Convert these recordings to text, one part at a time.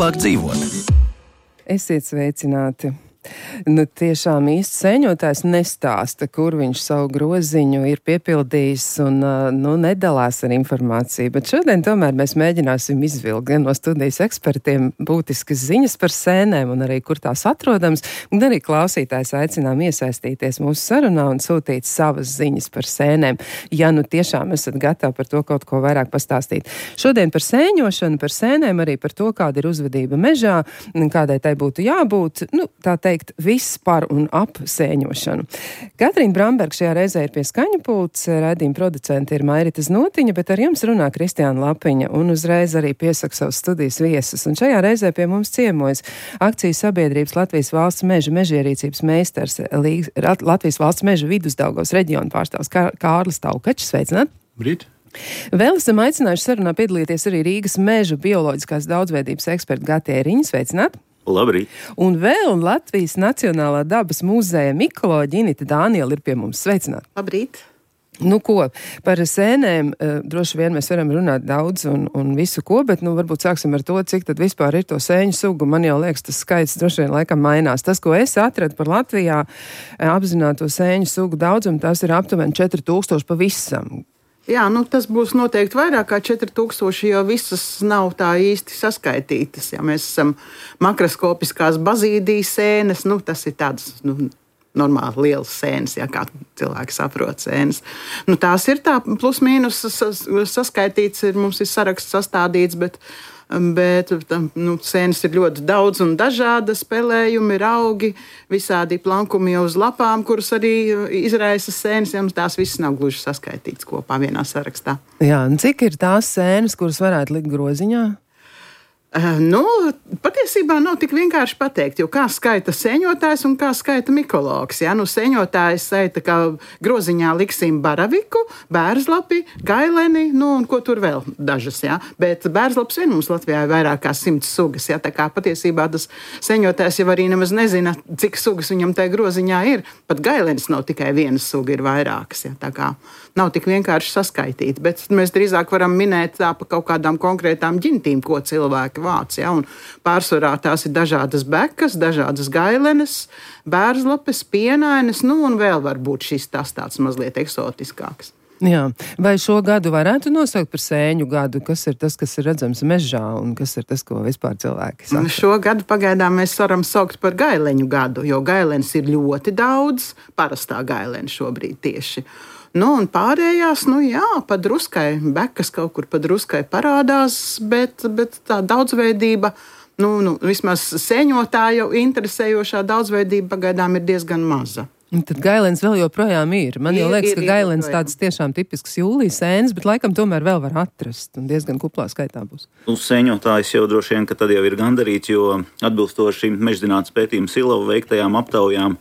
labāk dzīvot. Esiet sveicināti. Tiešām īsts sēņotājs nestāsta, kur viņš savu groziņu ir piepildījis un nedalās ar informāciju. Bet šodien tomēr mēs mēģināsim izvilkt gan no studijas ekspertiem būtiskas ziņas par sēnēm un arī kur tās atrodams, un arī klausītājs aicinām iesaistīties mūsu sarunā un sūtīt savas ziņas par sēnēm, ja tiešām esat gatavi par to kaut ko vairāk pastāstīt. Šodien par sēņošanu, par sēnēm, arī par to, kāda ir uzvedība mežā, kādai tai būtu jābūt, tā teikt, viss par un ap sēņošanu. Katrīna Bramberga šajā reizē ir pie skaņu pults, raidījuma producente ir Mairita Znotiņa, bet ar jums runā Kristiāna Lapiņa un uzreiz arī piesaka savus studijas viesus. Un šajā reizē pie mums ciemojas akcijas sabiedrības Latvijas valsts meža mežierīcības meistars, Latvijas valsts meža Vidusdaugavas reģiona pārstāvs Kārlis Taukačs. Sveicināt! Brīt! Vēl esam aicinājuši sarunā piedalīties arī Rīgas meža bioloģiskās daudzveidības eksperta Gati Eriņa. Sveicināt! Labrīt! Un vēl Latvijas Nacionālā dabas muzeja mikoloģa Inita Dāniela ir pie mums. Sveicināt! Labrīt! Par sēnēm droši vien mēs varam runāt daudz un visu ko, bet varbūt sāksim ar to, cik tad vispār ir to sēņu sugu. Man jau liekas, tas skaits droši vien laikam mainās. Tas, ko es atradu par Latvijā apzināto sēņu sugu daudzumu, tas ir aptuveni 4000 pavisam. Jā, tas būs noteikti vairāk kā 4000, jo visas nav tā īsti saskaitītas. Ja mēs esam makroskopiskās bazīdijas sēnes, tas ir tādas, normāli lielas sēnes, ja kā cilvēki saprot sēnes. Tās ir tā plus mīnus saskaitīts, mums ir saraksts sastādīts, bet sēnes ir ļoti daudz un dažādas, spēlējumi, augi, visādi plankumi uz lapām, kurus arī izraisa sēnes, ja tās visas nav gluži saskaitītas kopā vienā sarakstā. Jā, un cik ir tās sēnes, kuras varētu likt groziņā? Patiesībā nav tik vienkārši pateikt, jo kā skaita sēņotājs un kā skaita mikologs. Ja? Sēņotājs skaita, ka groziņā liksim baraviku, bērzlapi, gaileni, un ko tur vēl dažas. Ja? Bet bērzlaps vien mums Latvijā ir vairāk kā 100 sugas. Ja? Tā kā patiesībā tas sēņotājs jau arī nemaz nezina, cik sugas viņam tajā groziņā ir. Pat gailenis nav tikai viena suga, ir vairākas. Ja? Tā kā nav tik vienkārši saskaitīt. Bet mēs drīzāk varam minēt tā pa kaut kādām konkrētām ģintīm, ko cilvēki vāc, ja, un pārsvarā tās ir dažādas bekas, dažādas gailenes, bērzlapes, pienainas, un vēl varbūt šis tāds mazliet eksotiskāks. Jā, vai šo gadu varētu nosaukt par sēņu gadu? Kas ir tas, kas ir redzams mežā, un kas ir tas, ko vispār cilvēki saka? Šo gadu pagaidām mēs varam saukt par gaileņu gadu, jo gailenes ir ļoti daudz, parastā gailene šobrīd tieši. Un pārējās, pa druskai, bekas kaut kur pa druskai parādās, bet tā daudzveidība, vismaz sēņotāju interesējošā daudzveidība pagaidām ir diezgan maza. Un tad gailens vēl joprojām ir. Man jau liekas, ka gailens tādas tiešām tipiskas jūlijas sēnes, bet laikam tomēr vēl var atrast un diezgan kuplā skaitā būs. Sēņotājs jau droši vien, ka tad jau ir gandarīts, jo atbilstoši Mežzinātnes pētījuma Silava veiktajām aptaujām,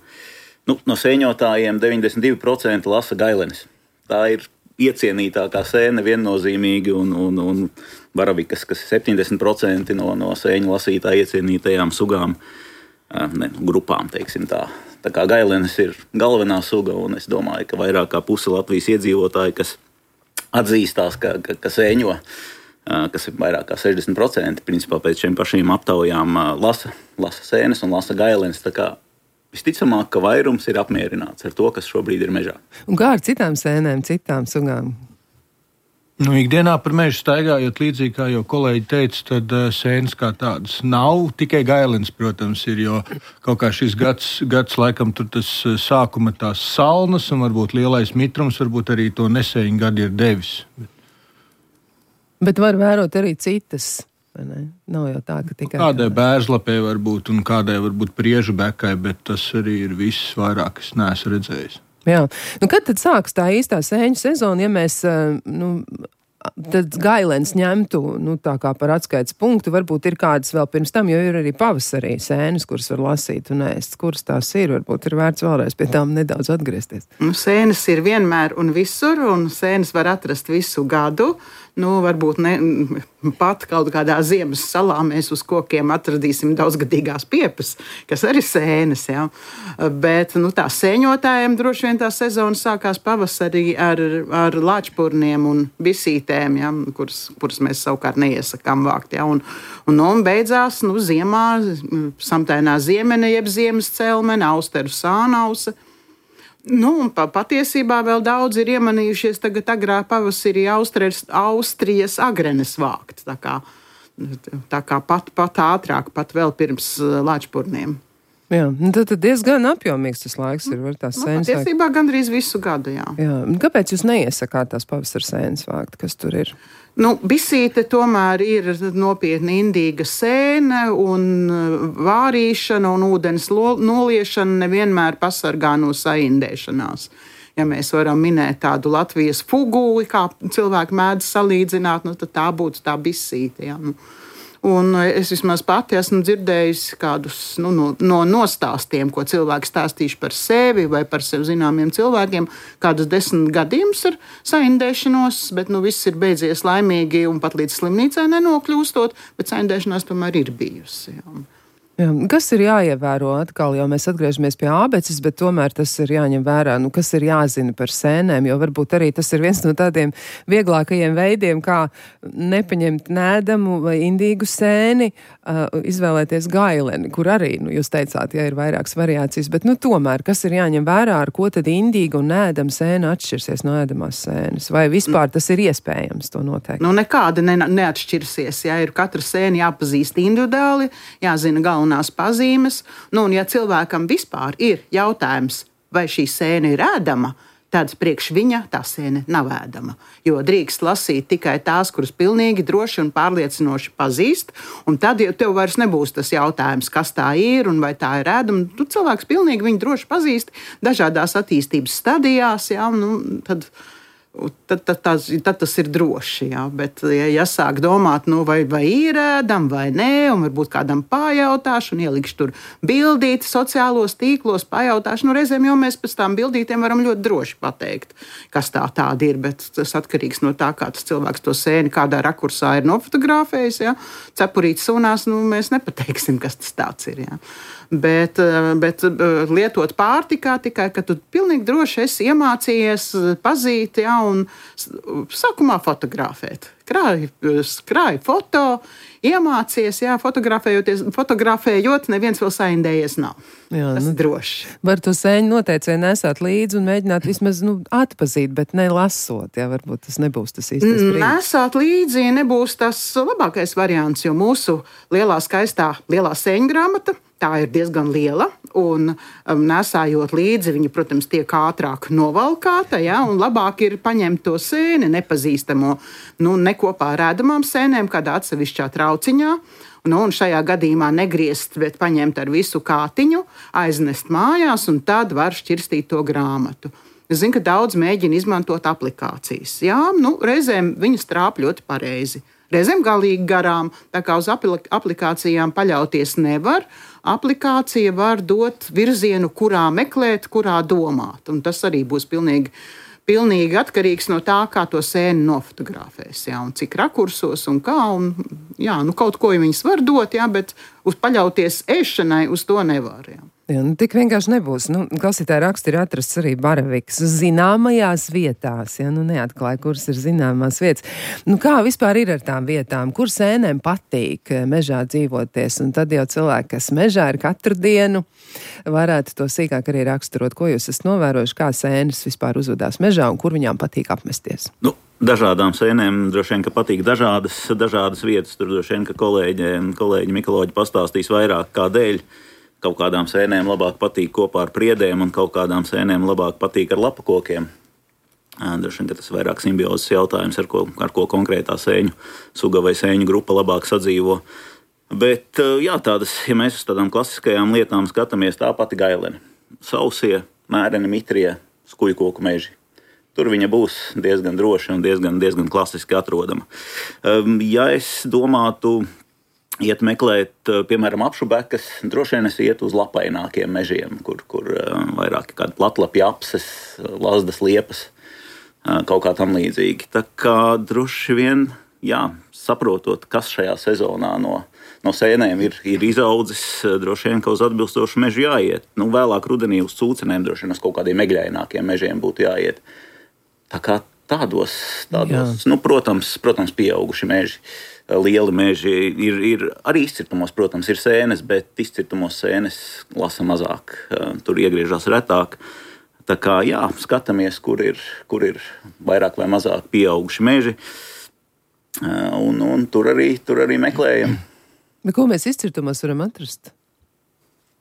no sēņotājiem 92% lasa gailenes. Tā ir iecienītākā sēne viennozīmīgi un baravikas, kas 70% no sēņu lasītāju iecienītajām sugām, grupām, teiksim tā. Tā kā gailenes ir galvenā suga, un es domāju, ka vairāk kā puse Latvijas iedzīvotāji, kas atzīstās, ka sēņo, kas ir vairāk kā 60%, principā pēc šiem pašiem aptaujām lasa sēnes un lasa gailenes. Tā kā visticamāk, ka vairums ir apmierināts ar to, kas šobrīd ir mežā. Un kā ar citām sēnēm, citām sugām? Ikdienā par mežu staigājot, līdzīgi kā jau kolēģi teica, tad sēnes kā tādas nav. Tikai gailenes, protams, ir, jo kaut kā šis gads laikam tur tas sākuma tās salnas un varbūt lielais mitrums, varbūt arī to nesēņu gadu ir devis. Bet var vērot arī citas. Nav jau tā, ka tikai kādai bērzlapē var būt un kādai varbūt priežu bekai, bet tas arī ir viss vairāk, es neesmu redzējis. Jā. Kad tad sāks tā īstā sēņu sezona, ja mēs tad gailens ņemtu tā kā par atskaites punktu, varbūt ir kādas vēl pirms tam, jo ir arī pavasarī sēnes, kuras var lasīt un ēst. Kuras tās ir? Varbūt ir vērts vēlreiz pie tām nedaudz atgriezties. Sēnes ir vienmēr un visur, un sēnes var atrast visu gadu. Varbūt ne pat kaut kādā ziemas salā mēs uz kokiem atradīsim daudzgadīgās piepas, kas arī sēnes. Ja? Bet tā sēņotājiem droši vien tā sezona sākās pavasarī ar lāčpurniem un bisītēm, ja? kuras mēs savukārt neiesakām vākt. Ja? Un beidzās ziemā samtainā ziemene, jeb ziemas celmene, austeru sānausa. Patiesībā vēl daudz ir iemanījušies tagad agrā pavasarī Austrijas agrenes vākt. Tā kā pat ātrāk, pat vēl pirms lāčpurniem. Jā, tad diezgan apjomīgs tas laiks ir, var tās sēnes vākt. Patiesībā gandrīz visu gadu, jā. Kāpēc jūs neiesakāt tās pavasara sēnes vākt, kas tur ir? Bisīte tomēr ir nopietni indīga sēne, un vārīšana un ūdens noliešana nevienmēr pasargā no saindēšanās. Ja mēs varam minēt tādu Latvijas fuguli, kā cilvēki mēdz salīdzināt, tad tā būtu tā bisīte. Ja? Un es vismaz pati esmu dzirdējusi kādus no nostāstiem, ko cilvēki stāstījuši par sevi vai par sev zināmiem cilvēkiem, kādus 10 gadījumus ar saindēšanos, bet viss ir beidzies laimīgi un pat līdz slimnīcai nenokļūstot, bet saindēšanās tomēr ir bijusi. Jā. Jā, kas ir jāievēro atkal, jo mēs atgriežamies pie ābeces, bet tomēr tas ir jāņem vērā, kas ir jāzina par sēnēm, jo varbūt arī tas ir viens no tādiem vieglākajiem veidiem, kā nepaņemt nēdamu vai indīgu sēni, izvēlēties gaileni, kur arī, jūs teicāt, ir vairākas variācijas, bet tomēr, kas ir jāņem vērā, ar ko tad indīga un nēdama sēna atšķirsies no ēdamās sēnes, vai vispār tas ir iespējams to noteikt? Nekāda neatšķirsies, ir katra sēna jāpazīst individuāli, jāzina galvenās pazīmes, un ja cilvēkam vispār ir jautājums, vai šī sēne ir ēdama, tad priekš viņa tā sēne nav ēdama. Jo drīkst lasīt tikai tās, kuras pilnīgi droši un pārliecinoši pazīst, un tad jau tev vairs nebūs tas jautājums, kas tā ir un vai tā ir ēdama. Tu cilvēks pilnīgi viņu droši pazīst dažādās attīstības stadijās, tad tas ir droši. Jā. Bet, ja sāk domāt, vai ir ēdama vai nē, un varbūt kādam pajautāšu, un ielikšu tur bildīti sociālos tīklos, pajautāšu, reizēm jau mēs pēc tām bildītēm varam ļoti droši pateikt, kas tāda ir, bet tas atkarīgs no tā, kā tas cilvēks to sēni kādā rakursā ir nofotografējis. Ja. Cepurītes sunās, mēs nepateiksim, kas tas tāds ir. Ja. Bet lietot pārtikā tikai, ka tu pilnīgi droši esi iemācījies pazīt, un sākumā fotografēt. Krāj foto, iemācies, fotografējot, neviens vēl saindējies nav. Jā, tas droši. Var to sēņu noteicēju nesāt līdzi un mēģināt vismaz atpazīt, bet nelasot, varbūt tas nebūs tas īstais brīdis. Nesāt līdzi nebūs tas labākais variants, jo mūsu lielā sēņu grāmata, tā ir diezgan liela, un nesājot līdzi, viņa, protams, tiek ātrāk novalkāta, un labāk ir paņemt to sēni nepazīstamo, ne kopā ar ēdamām sēnēm, kādā atsevišķā trauciņā, un šajā gadījumā negriezt, bet paņemt ar visu kātiņu, aiznest mājās, un tad var šķirstīt to grāmatu. Es zinu, ka daudz mēģina izmantot aplikācijas. Jā, reizēm viņas trāp ļoti pareizi. Reizēm galīgi garām, tā kā uz aplikācijām paļauties nevar. Aplikācija var dot virzienu, kurā meklēt, kurā domāt. Un tas arī būs pilnīgi atkarīgs no tā, kā to sēni nofotografēs. Jā, un cik rakursos un kā. Kaut ko viņas var dot, bet paļauties ēšanai uz to nevar. Jā. Tik vienkārši nebūs. Klausītāji raksti ir atrasts arī baravikas zināmajās vietās. Neatklāja, kuras ir zināmās vietas. Kā vispār ir ar tām vietām? Kur sēnēm patīk mežā dzīvoties? Un tad jau cilvēki, kas mežā ir katru dienu, varētu to sīkāk arī raksturot. Ko jūs esat novērojuši, kā sēnes vispār uzvedās mežā un kur viņām patīk apmesties? Dažādām sēnēm droši vien, ka patīk dažādas vietas. Tur droši vien, ka kolēģi mikoloģi pastāstīs vairāk kādēļ. Kaut kādām sēnēm labāk patīk kopā ar priedēm, un kaut kādām sēnēm labāk patīk ar lapakokiem. Droši vien, ka tas ir vairāk simbiozes jautājums, ar ko konkrētā sēņu suga vai sēņu grupa labāk sadzīvo. Bet, ja mēs uz tādām klasiskajām lietām skatāmies, tā pati gailene. Sausie, mēreni, mitrie, skujkoku meži. Tur viņa būs diezgan droši un diezgan klasiski atrodama. Ja es domātu iet meklēt, piemēram, apšubekas, droši vien es ietu uz lapainākiem mežiem, kur vairāk kādi platlapji apses, lazdas liepas. kaut kā tam līdzīgi. Tā kā droši vien, saprotot, kas šajā sezonā no sēnēm ir izaudzis, droši vien, ka uz atbilstošu mežu jāiet. Vēlāk rudenī uz cūcenēm, droši vien uz kaut kādiem megļainākiem mežiem būtu jāiet. Tā kā tādos protams, pieauguši meži, lieli meži ir arī izcirtumos, protams, ir sēnes, bet izcirtumos sēnes lasa mazāk, tur iegriežās retāk. Tā kā, skatāmies, kur ir vairāk vai mazāk pieauguši meži, un tur arī meklējam. Bet ko mēs izcirtumos varam atrast?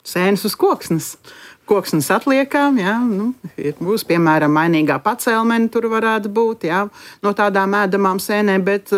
Sēnes uz koksnes. Koksnes atliekām, būs, piemēram, mainīgā pacelmene tur varētu būt, no tādām ēdamām sēnēm, bet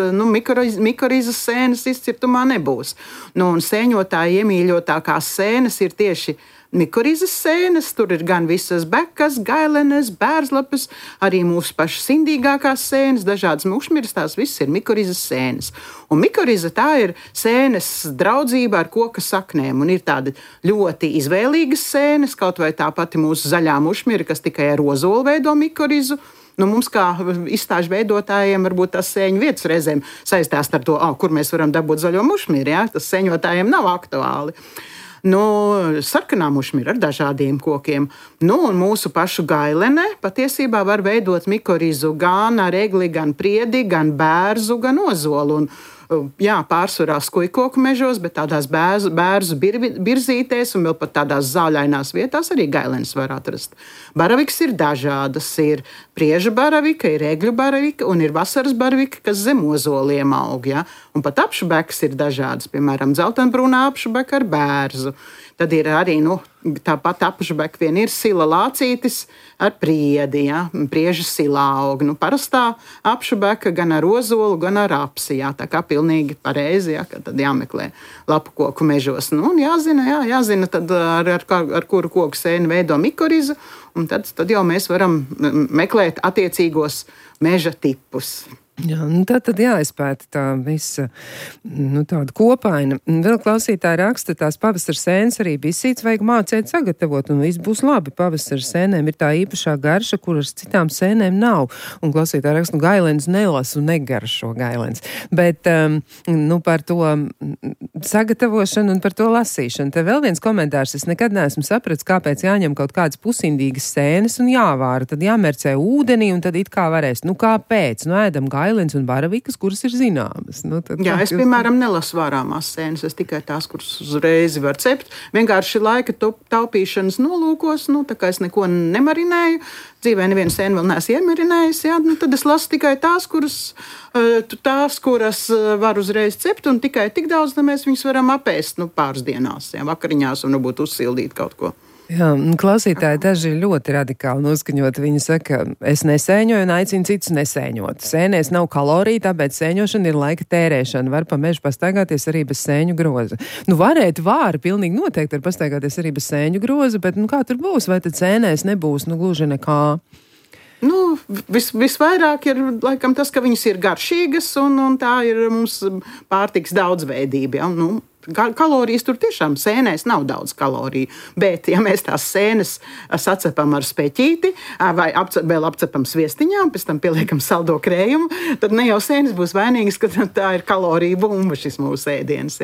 mikorizas sēnes izcirtumā nebūs. Un sēņotāji iemīļotākās sēnes ir tieši mikorizas sēnes, tur ir gan visas bekas, gailenes, bērzlapes, arī mūsu pašas indīgākās sēnes, dažādas mušmiras, tās viss ir mikorizas sēnes. Un mikoriza tā ir sēnes draudzība ar koka saknēm, un ir tāda ļoti izvēlīgas sēnes, kaut vai tā pati mūsu zaļā mušmira, kas tikai ar ozolu veido mikorizu. Mums kā izstāžu veidotājiem varbūt tas sēņu vietas reizēm saistās ar to, kur mēs varam dabūt zaļo mušmiru, tas sēņotājiem nav aktuāli. Sarkanā mušmira ar dažādiem kokiem. Un mūsu pašu gailene patiesībā var veidot mikorizu gan ar egli, gan priedi, gan bērzu, gan ozolu. Pārsvarā skujkoku mežos, bet tādās bērzu birzītēs un vēl pat tādās zāļainās vietās arī gailenes var atrast. Baravikas ir dažādas. Ir prieža baravika, ir egļu baravika un ir vasaras baravika, kas zem ozoliem aug. Un pat apšubekas ir dažādas, piemēram, dzeltenbrūnā apšubeka ar bērzu. Tad ir arī tāpat apšubeka vien ir sila lācītis ar priedi, prieža silā aug. Parastā apšubeka gan ar ozolu, gan ar apsi, tā kā pilnīgi pareizi, ka tad jāmeklē lapu koku mežos. Un jāzina tad ar kuru koku sēni veido mikorizu, un tad jau mēs varam meklēt attiecīgos meža tipus. Tad jāizpēta tā visa tāda kopaina. Vēl klausītāji raksta, tās pavasara sēnes arī bisītes vajag mācīt sagatavot, un viss būs labi. Pavasara sēnēm ir tā īpašā garša, kuras citām sēnēm nav. Un klausītāji raksta, gailens nelasu un negaršo gailens. Bet par to sagatavošanu un par to lasīšanu. Te vēl viens komentārs. Es nekad neesmu sapratis, kāpēc jāņem kaut kādas pusindīgas sēnes un jāvāra. Tad jāmērcē ūdenī un tad it kā varēs. Kāpēc? Ēdam gailens un baravikas, kuras ir zināmas. Es, piemēram, nelasu vārāmās sēnes, es tikai tās, kuras uzreiz var cept. Vienkārši laika taupīšanas nolūkos, tā kā es neko nemarinēju, dzīvē nevienu sēnu vēl neesmu iemarinējis, tad es lasu tikai tās, kuras var uzreiz cept, un tikai tik daudz, ka mēs viņus varam apēst pāris dienās, vakariņās, un varbūt uzsildīt kaut ko. Klausītāji daži ir ļoti radikāli noskaņoti. Viņi saka, es nesēņoju un aicinu citus nesēņot. Sēnēs nav kaloriju, tāpēc sēņošana ir laika tērēšana. Var pa mežu pastaigāties arī bez sēņu groza. Vāri pilnīgi noteikti var pastaigāties arī bez sēņu groza, bet kā tur būs? Vai tad sēnēs nebūs gluži nekā? Visvairāk ir laikam tas, ka viņas ir garšīgas un tā ir mums pārtiks daudzveidība. Kalorijas tur tiešām sēnēs nav daudz kaloriju, bet ja mēs tās sēnes sacepam ar speķīti vai vēl apcepam sviestiņām, pēc tam pieliekam saldo krējumu, tad ne jau sēnes būs vainīgas, ka tā ir kaloriju bumba šis mūsu ēdiens.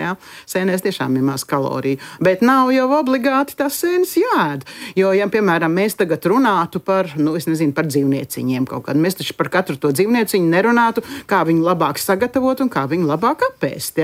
Sēnēs tiešām ir maz kaloriju, bet nav jau obligāti tās sēnes jāēd. Jo, ja, piemēram, mēs tagad runātu par dzīvnieciņiem kaut kādu, mēs taču par katru to dzīvnieciņu nerunātu, kā viņu labāk sagatavot un kā viņu labāk apēst,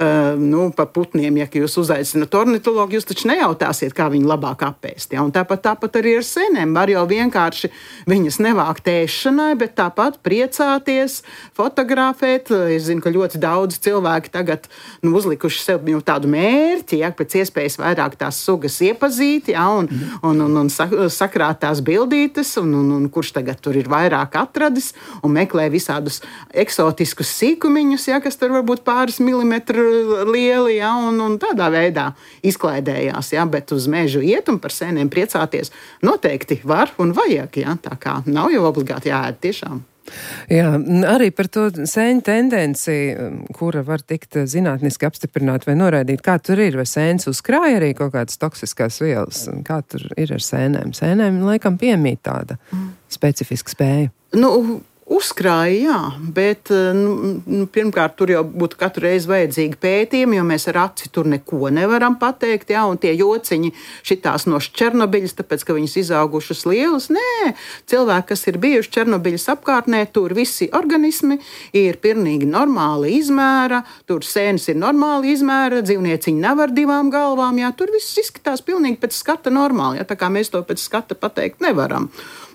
pa putniem, ja jūs uzaicināt ornitologu, jūs taču nejautāsiet, kā viņu labāk apēst. Un tāpat arī ar sēnēm. Var jau vienkārši viņas nevākt ēšanai, bet tāpat priecāties, fotografēt. Es zinu, ka ļoti daudz cilvēki tagad uzlikuši sev tādu mērķi, pēc iespējas vairāk tās sugas iepazīt, un sakrāt tās bildītes, un kurš tagad tur ir vairāk atradis, un meklē visādus eksotiskus sīkumiņus, kas tur varbūt pāris milimetru lieli, un tādā veidā izklaidējās, bet uz mežu iet un par sēnēm priecāties noteikti var un vajag, tā kā nav jau obligāti jāēd tiešām. Jā, arī par to sēņu tendenci, kura var tikt zinātniski apstiprināt vai noraidīt, kā tur ir, vai sēnes uzkrāja arī kaut kādas toksiskās vielas, kā tur ir ar sēnēm. Sēnēm laikam piemīt tāda specifiska spēja. Uzkrāja, jā, bet pirmkārt tur jau būtu katru reizi vajadzīgi pētījumi, jo mēs ar aci tur neko nevaram pateikt, jā, un tie jociņi šitās no Černobiļas, tāpēc, ka viņas izaugušas lielas. Nē, cilvēki, kas ir bijuši Černobiļas apkārtnē, tur visi organismi ir pilnīgi normāli izmēra, tur sēnes ir normāli izmēra, dzīvnieciņi nav ar 2 galvām, jā, tur viss izskatās pilnīgi pēc skata normāli, jā, tā kā mēs to pēc skata pateikt nevaram.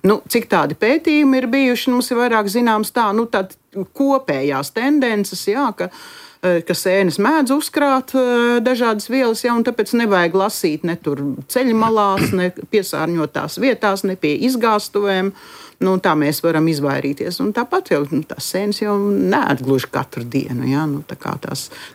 Cik tādi pētījumi ir bijuši, mums ir vairāk zināms tād kopējās tendences, jā, ka sēnes mēdz uzkrāt dažādas vielas, jā, un tāpēc nevajag lasīt ne tur ceļmalās, ne piesārņotās vietās, ne pie izgāstuvēm. Tā mēs varam izvairīties. Un tāpat jau tās sēnes jau neēd gluži katru dienu. Jā,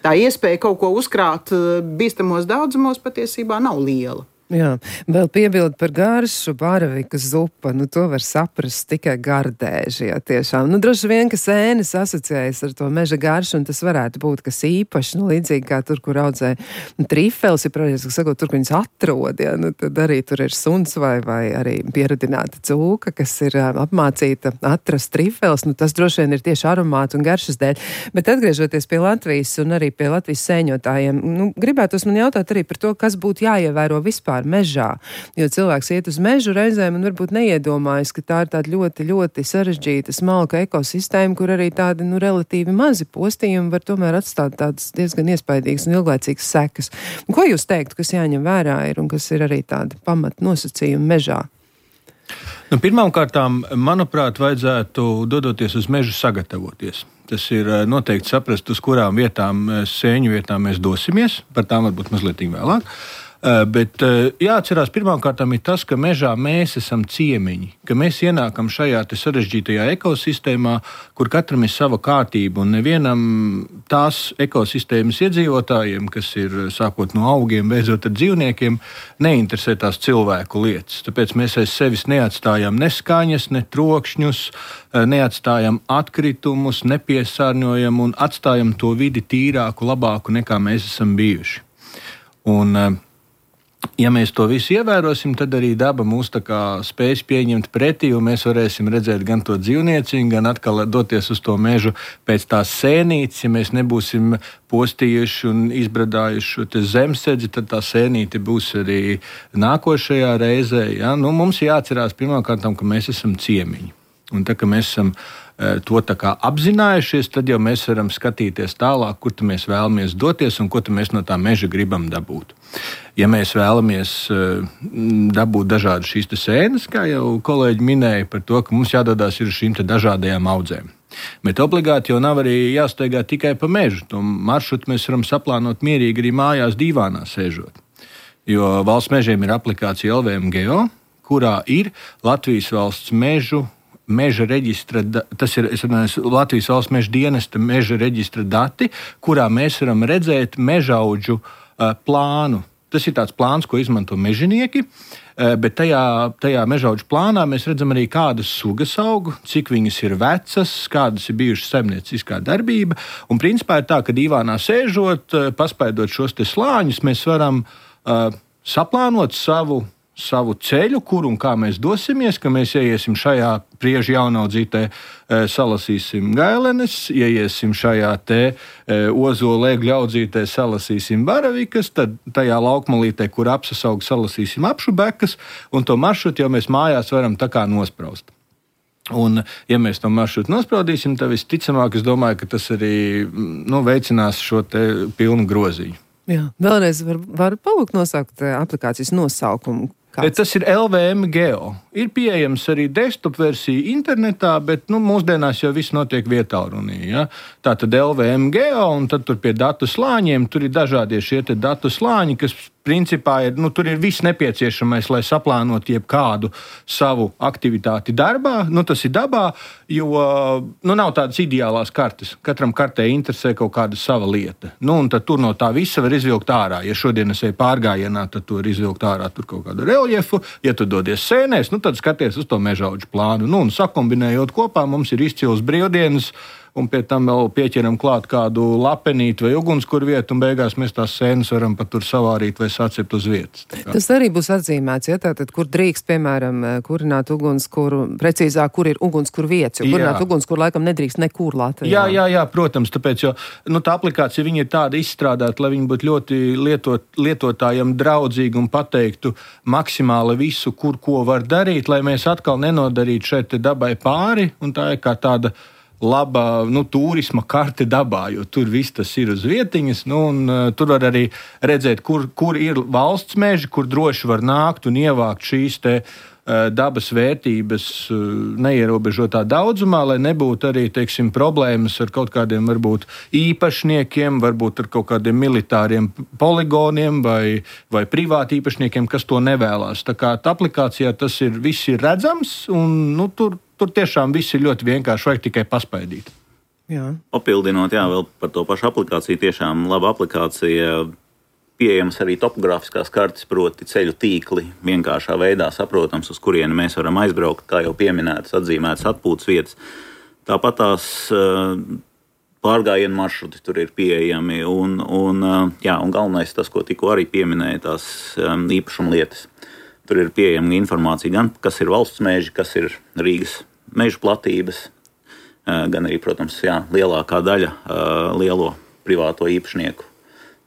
tā iespēja kaut ko uzkrāt bīstamos daudzumos patiesībā nav liela. Jā, vēl piebildu par garšu, baravikas zupa, to var saprast tikai gardēži, jā, tiešām. Droši vien, ka sēnes asociējas ar to meža garšu, un tas varētu būt kas īpašs, līdzīgi kā tur, kur audzē trifels, ja protams, sakot, tur, kur viņas atrod, jā, tad arī tur ir suns vai arī pieradināta cūka, kas ir apmācīta atrast trifels, tas droši vien ir tieši aromātu un garšas dēļ. Bet atgriežoties pie Latvijas un arī pie Latvijas sēņotājiem, gribētos man jautāt arī par to, kas būtu jāievēro vispār mežā, jo cilvēks iet uz mežu reizēm un varbūt neiedomājas, ka tā ir tāda ļoti, ļoti sarežģīta, smalka ekosistēma, kur arī tādi, relatīvi mazi postījumi var tomēr atstāt tādas diezgan iespaidīgas un ilglaicīgas sekas. Ko jūs teiktu, kas jāņem vērā ir un kas ir arī tādi pamat nosacījumi mežā? Pirmkārtām, manuprāt, vajadzētu dodoties uz mežu sagatavoties. Tas ir noteikti saprast, uz kurām vietām, sēņu vietām mēs dosimies, par tām varbūt mazliet vēlāk. Bet jāatcerās pirmkārtām ir tas, ka mežā mēs esam ciemiņi, ka mēs ienākam šajā sarežģītajā ekosistēmā, kur katram ir sava kārtība un nevienam tās ekosistēmas iedzīvotājiem, kas ir sākot no augiem, beidzot ar dzīvniekiem, neinteresē tās cilvēku lietas. Tāpēc mēs aiz sevis neatstājam ne skaņas, ne trokšņus, neatstājam atkritumus, nepiesārņojam un atstājam to vidi tīrāku, labāku nekā mēs esam bijuši. Un ja mēs to visu ievērosim, tad arī daba mūs spēs pieņemt pretī, un mēs varēsim redzēt gan to dzīvnieciņu, gan atkal doties uz to mežu pēc tās sēnītes. Ja mēs nebūsim postījuši un izbradājuši šo zemsedzi, tad tā sēnīte būs arī nākošajā reizē. Ja? Mums jāatcerās pirmkārt, ka mēs esam ciemiņi. Un tā, ka mēs esam to apzinājušies, tad jau mēs varam skatīties tālāk, kur mēs vēlamies doties un ko mēs no tā meža gribam dabūt. Ja mēs vēlamies dabūt dažādas šīs sēnes, kā jau kolēģi minēja par to, ka mums jādodas uz šīm dažādajām audzēm. Bet obligāti jau nav arī jāsteigā tikai pa mežu. To maršrutu mēs varam saplānot mierīgi arī mājās dīvānā sēžot. Jo valsts mežiem ir aplikācija LVM Geo, kurā ir Latvijas valsts meža reģistra, tas ir Latvijas valsts meža dienesta meža reģistra dati, kurā mēs varam redzēt mežaudžu plānu. Tas ir tāds plāns, ko izmanto mežinieki, bet tajā mežaudžu plānā mēs redzam arī kādas sugas augu, cik viņas ir vecas, kādas ir bijušas saimnieciskā darbība. Un principā ir tā, ka dīvānā sēžot, paspaidot šos slāņus, mēs varam saplānot savu ceļu, kur un kā mēs dosimies, ka mēs ieiesim šajā priežu jaunaudzītē, salasīsim gailenes, ieiesim šajā ozolu egļu audzītē, salasīsim baravikas, tad tajā laukmalītē, kur apsasaug, salasīsim apšubekas, un to maršrutu jau mēs mājās varam tā kā nospraust. Un, ja mēs to maršrutu nospraudīsim, tad visticamāk, es domāju, ka tas arī veicinās šo pilnu groziņu. Jā, vēlreiz var palūgt nosaukt aplikācijas nosaukumu. Kāds? Tas ir LVM Geo. Ir pieejams arī desktop versija internetā, bet mūsdienās jau viss notiek vietālrunī. Ja? Tā tad LVM Geo, un tad tur pie datu slāņiem tur ir dažādie šie datu slāņi, kas principā tur ir viss nepieciešamais, lai saplānotu jebkādu savu aktivitāti darbā. Tas ir dabā, jo nav tādas ideālās kartes. Katram kartē interesē kaut kāda sava lieta. Un tad tur no tā visa var izvilkt ārā. Ja šodien es eju pārgājienā, tad tu vari izvilkt ārā tur kaut kādu reljefu. Ja tu dodies sēnēs, tad skaties uz to mežaudžu plānu. Un sakombinējot kopā, mums ir izcils brīvdienas, un pie tam vēl pieķeram klāt kādu lapenīti vai ugunskura vietu, un beigās mēs tās sēnes varam pat tur savārīt vai sacept uz vietas. Tas arī būs atzīmēts, ja tātad, kur drīkst, piemēram, kurināt ugunskuru, precīzāk, kur ir ugunskura vietas, jo kurināt ugunskuru laikam nedrīkst nekur Latvijā. Jā, protams, tāpēc, jo tā aplikācija viņa ir tāda izstrādāta, lai viņa būtu ļoti lietotājiem draudzīga un pateiktu maksimāli visu, kur ko var darīt, lai mēs atkal nenodarītu šeit dabai pāri, un tā ir kā tāda laba turisma karte dabā, jo tur viss tas ir uz vietiņas, un tur var arī redzēt, kur ir valsts meži, kur droši var nākt un ievākt šīs te dabas vērtības neierobežotā daudzumā, lai nebūtu arī, problēmas ar kaut kādiem varbūt īpašniekiem, varbūt ar kaut kādiem militāriem poligoniem vai privāti īpašniekiem, kas to nevēlās. Tā kā tā aplikācijā tas viss ir redzams, un tur tiešām viss ir ļoti vienkārši, vajag tikai paspaidīt. Jā. Papildinot, vēl par to pašu aplikāciju, tiešām laba aplikācija, pieejams arī topogrāfiskās kartes, proti ceļu tīkli, vienkāršā veidā saprotams, uz kurieni mēs varam aizbraukt, kā jau pieminētas, atzīmētas atpūtas vietas. Tāpat tās pārgājienu maršruti tur ir pieejami, un galvenais tas, ko tikko arī pieminēja, tās īpašuma lietas. Tur ir pieejama informācija gan, kas ir valsts meži, kas ir Rīgas mežu platības, gan arī, protams, lielākā daļa lielo privāto īpašnieku.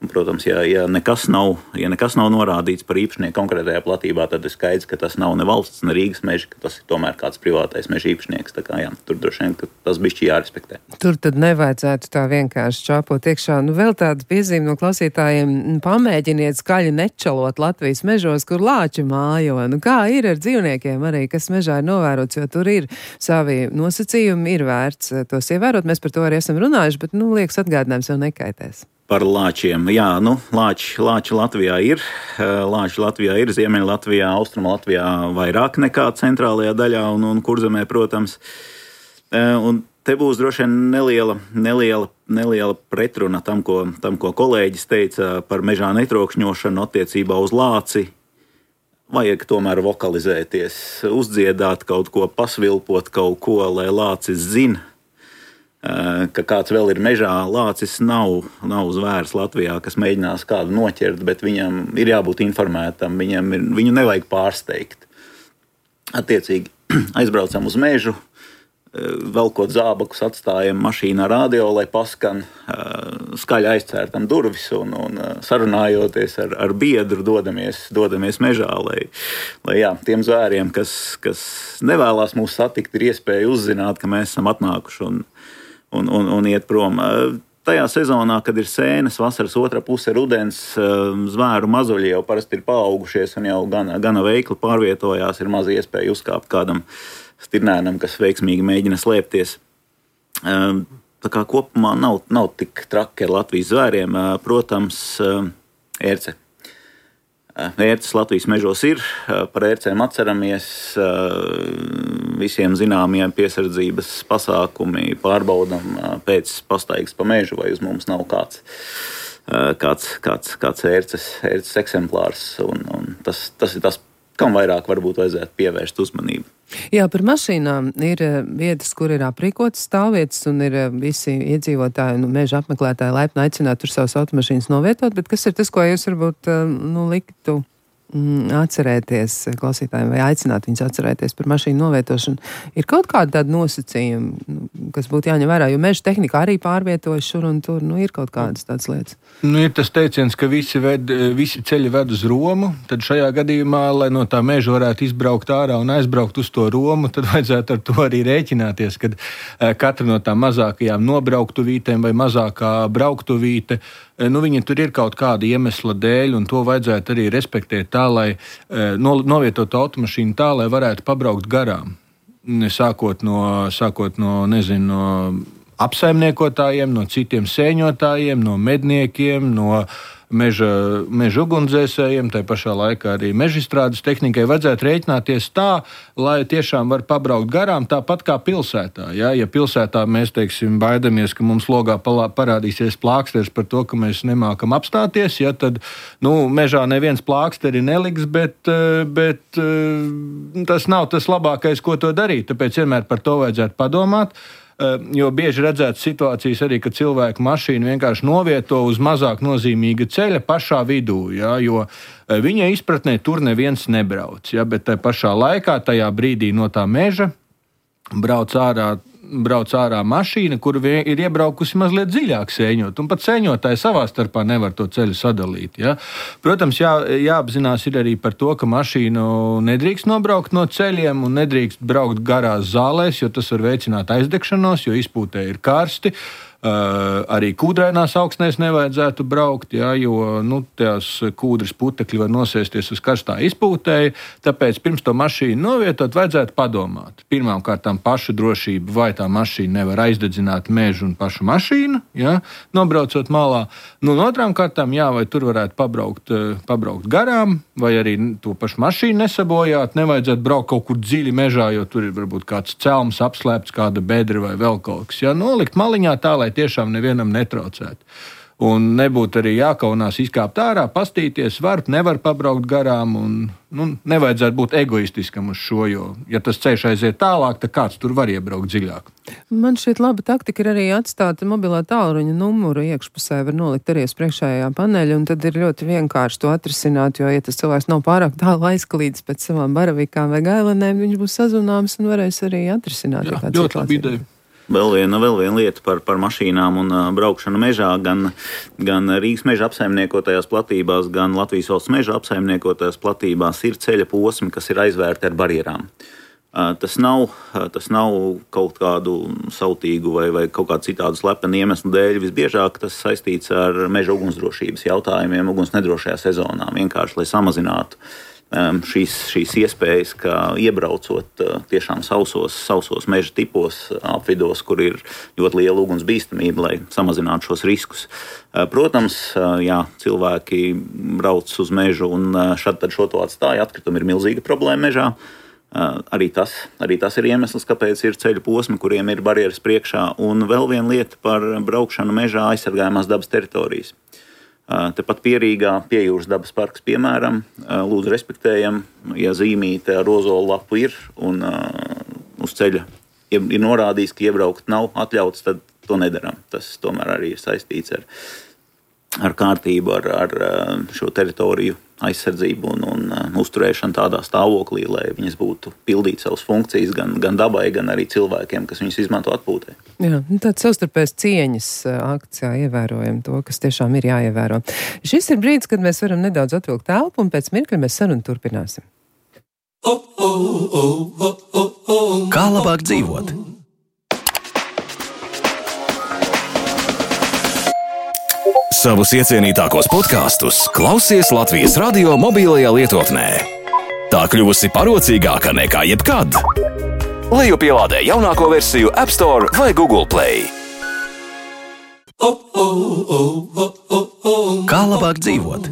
Un, protams, ja nekas nav norādīts par īpašnieku konkrētajā platībā, tad ir skaidrs, ka tas nav ne valsts, ne Rīgas meži, ka tas ir tomēr kāds privātais meža īpašnieks. Tā kā, tur droši vien, ka tas bišķi jārespektē. Tur tad nevajadzētu tā vienkārši čāpot iekšā. Vēl tāda piezīme no klausītājiem: pamēģiniet skaļi nečalot Latvijas mežos, kur lāči mājo. Kā ir ar dzīvniekiem arī, kas mežā ir novērots, jo tur ir savi nosacījumi, ir vērts tos ievērot. Mēs par to arī esam runājuši, bet, liekas, atgādinājums jau nekaitēs. Par lāčiem. Lāči Latvijā ir. Lāči Latvijā ir, Ziemeļa Latvijā, Austruma Latvijā vairāk nekā centrālajā daļā un Kurzemē, protams. Un te būs droši vien neliela pretruna tam, ko kolēģis teica par mežā netrokšņošanu attiecībā uz lāci. Vajag tomēr vokalizēties, uzdziedāt kaut ko, pasvilpot kaut ko, lai lācis zina, ka kāds vēl ir mežā. Lācis nav zvērs Latvijā, kas mēģinās kādu noķert, bet viņam ir jābūt informētam, viņu nevajag pārsteigt. Attiecīgi aizbraucam uz mežu, velkot zābakus, atstājam mašīnā radio, lai paskan, skaļi aizcērtam durvis un sarunājoties ar biedru dodamies mežā, lai tiem zvēriem, kas nevēlās mūs satikt, ir iespēja uzzināt, ka mēs esam atnākuši un iet prom. Tajā sezonā, kad ir sēnes, vasaras otrā puse rudens, zvēru mazuļi jau parasti ir paaugušies un jau gana veikli pārvietojās, ir maz iespēja uzkāpt kādam stirnēnam, kas veiksmīgi mēģina slēpties. Tā kā kopumā nav tik traki ar Latvijas zvēriem. Protams, ērce. Ērces Latvijas mežos ir, par ērcēm atceramies, visiem zināmie piesardzības pasākumi, pārbaudam pēc pastaigas pa mežu, vai uz mums nav kāds ērces eksemplārs, un tas ir tas, kam vairāk varbūt vajadzētu pievērst uzmanību. Jā, par mašīnām ir vietas, kur ir aprīkotas stāvvietas, un ir visi iedzīvotāji, meža apmeklētāji laipni aicināti tur savas automašīnas novietot, bet kas ir tas, ko jūs varbūt liktu atcerēties klausītājiem vai aicināt viņus atcerēties par mašīnu novietošanu? Ir kaut kāda tāda nosacījuma, kas būtu jāņem vērā, jo meža tehnika arī pārvietojas šur un tur, ir kaut kādas tādas lietas. Ir tas teiciens, ka visi ceļi ved uz Romu, tad šajā gadījumā, lai no tā meža varētu izbraukt ārā un aizbraukt uz to Romu, tad vajadzētu ar to arī rēķināties, kad katra no tām mazākajām nobrauktuvītēm vai mazākā brauktuvīte, viņa tur ir kaut kāda iemesla dēļ, un to vajadzētu arī respektēt tā, lai novietotu automašīnu tā, lai varētu pabraukt garām. Sākot no apsaimniekotājiem, no citiem sēņotājiem, no medniekiem, no meža ugunsdzēsējiem, tai pašā laikā arī mežstrādes tehnikai vajadzētu rēķināties tā, lai tiešām var pabraukt garām tāpat kā pilsētā. Ja pilsētā mēs, teiksim, baidamies, ka mums logā parādīsies plāksteris par to, ka mēs nemākam apstāties, ja, tad, mežā neviens plāksteri neliks, bet tas nav tas labākais, ko to darīt. Tāpēc vienmēr par to vajadzētu padomāt. Jo bieži redzētas situācijas arī, ka cilvēku mašīnu vienkārši novieto uz mazāk nozīmīga ceļa pašā vidū, ja, jo viņa izpratnē tur neviens nebrauc. Ja, bet tajā pašā laikā, tajā brīdī no tā meža brauc ārā mašīna, kur ir iebraukusi mazliet dziļāk sēņot, un pat sēņotāji savā starpā nevar to ceļu sadalīt. Ja? Protams, jāapzinās ir arī par to, ka mašīnu nedrīkst nobraukt no ceļiem un nedrīkst braukt garās zālēs, jo tas var veicināt aizdegšanos, jo izpūtē ir karsti. Arī kūdrainās augstnēs nevajadzētu braukt, ja, jo tās kūdras putekļi var nosēsties uz karstā izpūtēji, tāpēc pirms to mašīnu novietot vajadzētu padomāt. Pirmām kārtām pašu drošību, vai tā mašīna nevar aizdedzināt mežu un pašu mašīnu, ja, nobraucot malā. Otrām kārtām, vai tur varētu pabraukt garām, vai arī to pašu mašīnu nesabojāt, nevajadzētu braukt kaut kur dziļi mežā, jo tur ir varbūt kāds celms apslēpts, kāda bedra vai vēl kaut kas. Ja, nolikt maliņā tā, lai tiešām nevienam netraucētu. Un nebūtu arī jākaunās izkāpt ārā, pastīties, nevar pabraukt garām, un nevajadzētu būt egoistiskam uz šo, jo, ja tas ceļš aiziet tālāk, tad kāds tur var iebraukt dziļāk. Man šķiet laba taktika ir arī atstāt mobilā tālruņa numuru iekšpusē, var nolikt arī uz priekšējā paneļa, un tad ir ļoti vienkārši to atrisināt, jo, ja tas cilvēks nav pārāk tālu aizklīdis pēc savām baravikām vai gailenēm, viņš būs sazunāms un varēs arī atrisināt. Jā, ļoti labi ideja. Vēl viena lieta par mašīnām un braukšanu mežā, gan Rīgas meža apsaimniekotajās platībās, gan Latvijas valsts meža apsaimniekotajās platībās ir ceļa posmi, kas ir aizvērti ar barjerām. Tas nav kaut kādu sautīgu vai kaut kādu citādu slepenu iemeslu dēļ. Visbiežāk tas saistīts ar meža ugunsdrošības jautājumiem, uguns nedrošajā sezonā, vienkārši lai samazinātu šīs iespējas, ka iebraucot tiešām sausos meža tipos, apvidos, kur ir ļoti liela uguns bīstamība, lai samazinātu šos riskus. Protams, cilvēki brauc uz mežu un šad tad šo to atstāja, atkritumi ir milzīga problēma mežā. Arī tas ir iemesls, kāpēc ir ceļu posmi, kuriem ir barjeras priekšā. Un vēl viena lieta par braukšanu mežā aizsargājumās dabas teritorijas. Tepat Pierīgā Piejūras dabas parks, piemēram, lūdzu respektējam, ja zīmīte ar ozolu lapu ir un uz ceļa ir norādījis, ka iebraukt nav atļauts, tad to nedaram. Tas tomēr arī ir saistīts ar kārtību, ar šo teritoriju aizsardzību un uzturēšanu tādā stāvoklī, lai viņas būtu pildīt savas funkcijas gan dabai, gan arī cilvēkiem, kas viņas izmanto atpūtē. Jā, tāds savstarpējas cieņas akts, ievērojam to, kas tiešām ir jāievēro. Šis ir brīdis, kad mēs varam nedaudz atvilkt telpu, un pēc mirkļa mēs sarunu turpināsim. Kā labāk dzīvot? Savus iecienītākos podkastus klausies Latvijas radio mobilajā lietotnē. Tā kļuvusi parocīgāka nekā jebkad. Lejupielādē jaunāko versiju App Store vai Google Play. Kā labāk dzīvot?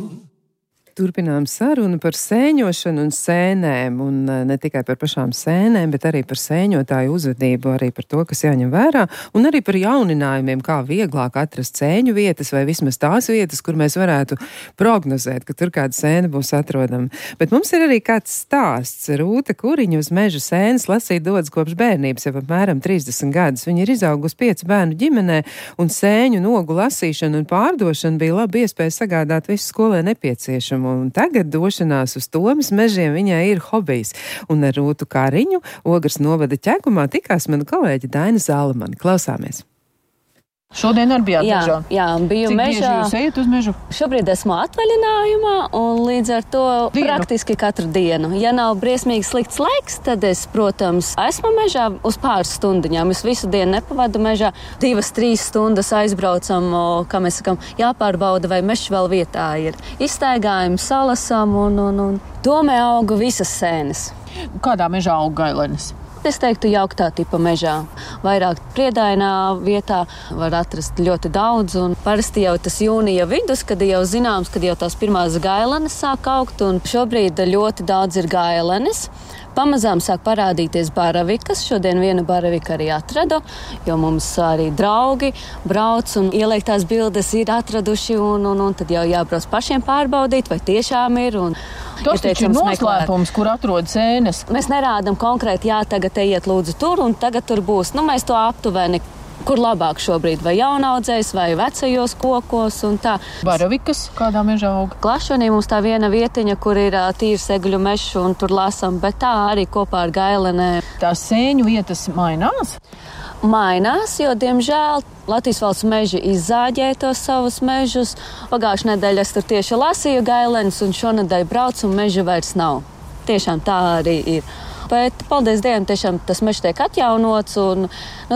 Turpinām sarunu par sēņošanu un sēnēm, un ne tikai par pašām sēnēm, bet arī par sēņotāju uzvedību, arī par to, kas jāņem vērā, un arī par jauninājumiem, kā vieglāk atrast sēņu vietas, vai vismaz tās vietas, kur mēs varētu prognozēt, ka tur kāda sēna būs atrodama. Bet mums ir arī kāds stāsts. Rūta Kuriņa uz meža sēnes lasīt dodas kopš bērnības, jau apmēram 30 gadus. Viņa ir izaugusi 5 bērnu ģimenē, un sēņu nogu lasīšana un pārdošana bija laba iespēja sagādāt visu skolē nepieciešamu. Un tagad došanās uz Tomas mežiem viņai ir hobijs. Un ar Rūtu Kuriņu Ogres novada ķekumā tikās mana kolēģe Daina Zalamane. Klausāmies! Šodien arī bijāt mežā? Jā, biju Cik mežā. Cik bieži jūs ejat uz mežu? Šobrīd esmu atvaļinājumā un līdz ar to praktiski katru dienu. Ja nav briesmīgi slikts laiks, tad es, protams, esmu mežā uz pāris stundiņām. Es visu dienu nepavadu mežā. 2-3 stundas aizbraucam, kā mēs sakam, jāpārbauda, vai mežs vēl vietā ir. Izstaigājam, salasam un domē auga visas sēnes. Kādā mežā aug gailenes? Es teiktu, jauktā tipa mežā. Vairāk priedainā vietā var atrast ļoti daudz. Un parasti jau tas jūnija vidus, kad jau zināms, kad jau tās pirmās gailenes sāk augt. Un šobrīd ļoti daudz ir gailenes. Pamazām sāk parādīties baravikas. Šodien vienu baraviku arī atradu, jo mums arī draugi brauc un ieliktās bildes ir atraduši. Un tad jau jābrauc pašiem pārbaudīt, vai tiešām ir. Tas taču ir noslēpums, kur atrodas sēnes. Mēs nerādam konkrēti, jā, tagad ejiet lūdzu tur un tagad tur būs. Mēs to aptuveni, kur labāk šobrīd, vai jaunaudzējs, vai vecajos kokos un tā. Baravikas kādā mežā aug? Klašonī mums tā viena vietiņa, kur ir tīrs egļu mežs un tur lasam, bet tā arī kopā ar gailenēm. Tās sēņu vietas mainās? Mainās, jo, diemžēl, Latvijas valsts meži izzāģēja tos savus mežus. Pagājušajā nedēļā es tur tieši lasīju gailenes, un šonedēļ braucu, un meža vairs nav. Tiešām tā arī ir. Bet, paldies Dievam, tiešām tas mežs tiek atjaunots, un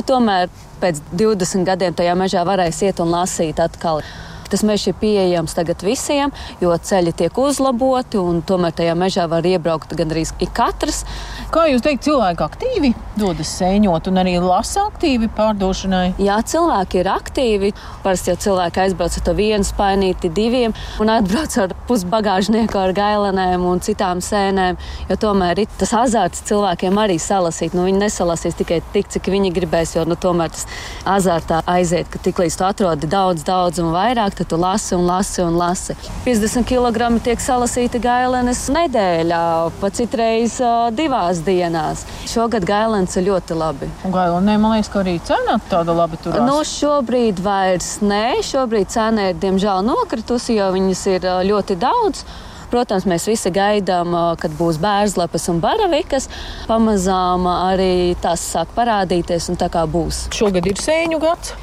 tomēr pēc 20 gadiem tajā mežā varēs iet un lasīt atkal. Tas mežs ir pieejams tagad visiem, jo ceļi tiek uzlaboti, un tomēr tajā mežā var iebraukt gandrīz katrs. Kā jūs teikt, cilvēki aktīvi dodas sēņot un arī lasa aktīvi pārdošanai? Jā, cilvēki ir aktīvi. Parasti jau cilvēki aizbrauc ar to vienu spainīti, diviem, un atbrauc ar pusbagāžnieku ar gailenēm un citām sēnēm, jo tomēr ir tas azarts cilvēkiem arī salasīt. Viņi nesalasīs tikai tik, cik viņi gribēs, jo tomēr tas azartā aiziet, ka tiklīdz tu atrodi daudz un vairāk, tad tu lasi un lasi un lasi. 50 kg tiek salasīti gailenes nedēļā, pa citreiz 2 dienās. Šogad gailenes ir ļoti labi. Un gailenē, man liekas, ka arī cena tāda labi turās. Šobrīd vairs nē. Šobrīd cena ir, diemžēl, nokritusi, jo viņas ir ļoti daudz. Protams, mēs visi gaidām, kad būs bērzlapas un baravikas. Pamazām arī tās sāk parādīties un tā kā būs. Šogad ir sēņu gads?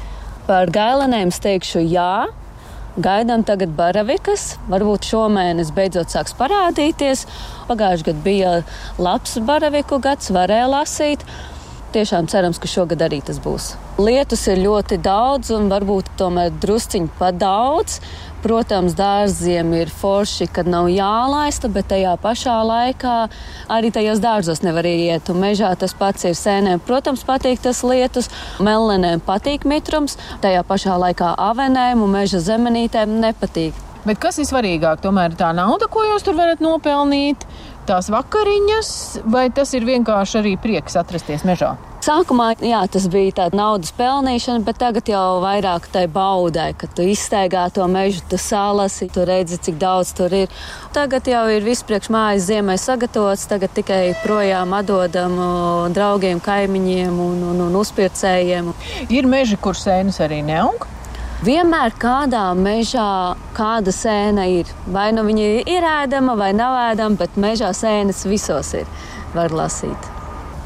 Par gailenēm es teikšu jā. Gaidām tagad baravikas, varbūt šomēnes beidzot sāks parādīties. Pagājušajā gadā bija labs baraviku gads, varēja lasīt. Tiešām cerams, ka šogad arī tas būs. Lietus ir ļoti daudz un varbūt tomēr drusciņi pa daudz. Protams, dārziem ir forši, kad nav jālaista, bet tajā pašā laikā arī tajos dārzos nevar iet. Un mežā tas pats ir sēnēm. Protams, patīk tas lietus, mellenēm patīk mitrums, tajā pašā laikā avenēm un meža zemenītēm nepatīk. Bet kas ir svarīgāk? Tomēr tā nauda, ko jūs tur varat nopelnīt, tās vakariņas, vai tas ir vienkārši arī prieks atrasties mežā? Sākumā, jā, tas bija tāda naudas pelnīšana, bet tagad jau vairāk tai baudai, kad tu izstaigā to mežu, tu salasi, tu redzi, cik daudz tur ir. Tagad jau ir viss priekš mājas ziemai sagatavots, tagad tikai projām atdodam draugiem, kaimiņiem un uzpircējiem. Ir meži, kur sēnes arī neaug? Vienmēr kādā mežā kāda sēna ir. Vai nu viņa ir ēdama vai nav ēdama, bet mežā sēnes visos ir. Var lasīt.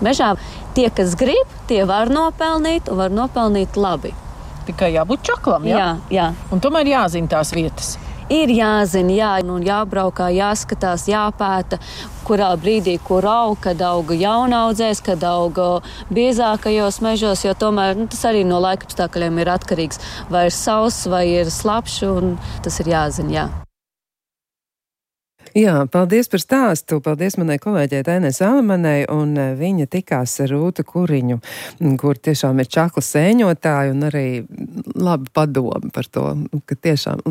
Mežā tie, kas grib, tie var nopelnīt un var nopelnīt labi. Tikai jābūt čaklam, jā? Jā. Un tomēr jāzina tās vietas. Ir jāzina, jā, un jābraukā, jāskatās, jāpēta, kurā brīdī, kur aug, kad auga jaunaudzēs, kad auga biezākajos mežos, jo tomēr tas arī no laikapstākļiem ir atkarīgs. Vai ir sauss, vai ir slapšs, un tas ir jāzina, jā. Jā, paldies par stāstu. Paldies manai kolēģei Dainai Zalamanai, un viņa tikās ar Rūtu Kuriņu, kur tiešām ir čakla sēņotāji un arī labi padomi par to, ka tiešām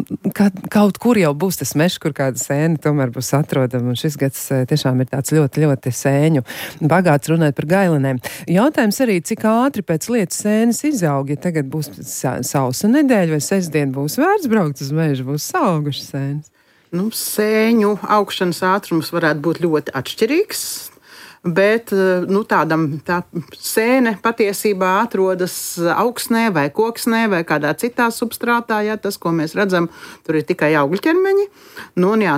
kaut kur jau būs tas mežs, kur kāda sēna tomēr būs atrodama, un šis gads tiešām ir tāds ļoti, ļoti sēņu bagāts runāt par gailenēm. Jautājums arī, cik ātri pēc lietas sēnes izaug, ja tagad būs sausa nedēļa vai sestdien būs vērts braukt uz mežu, būs saugušas sēnes. Sēņu augšanas ātrums varētu būt ļoti atšķirīgs, bet tā sēne patiesībā atrodas augsnē vai koksnē vai kādā citā substrātā. Ja, tas, ko mēs redzam, tur ir tikai augļķermeņi.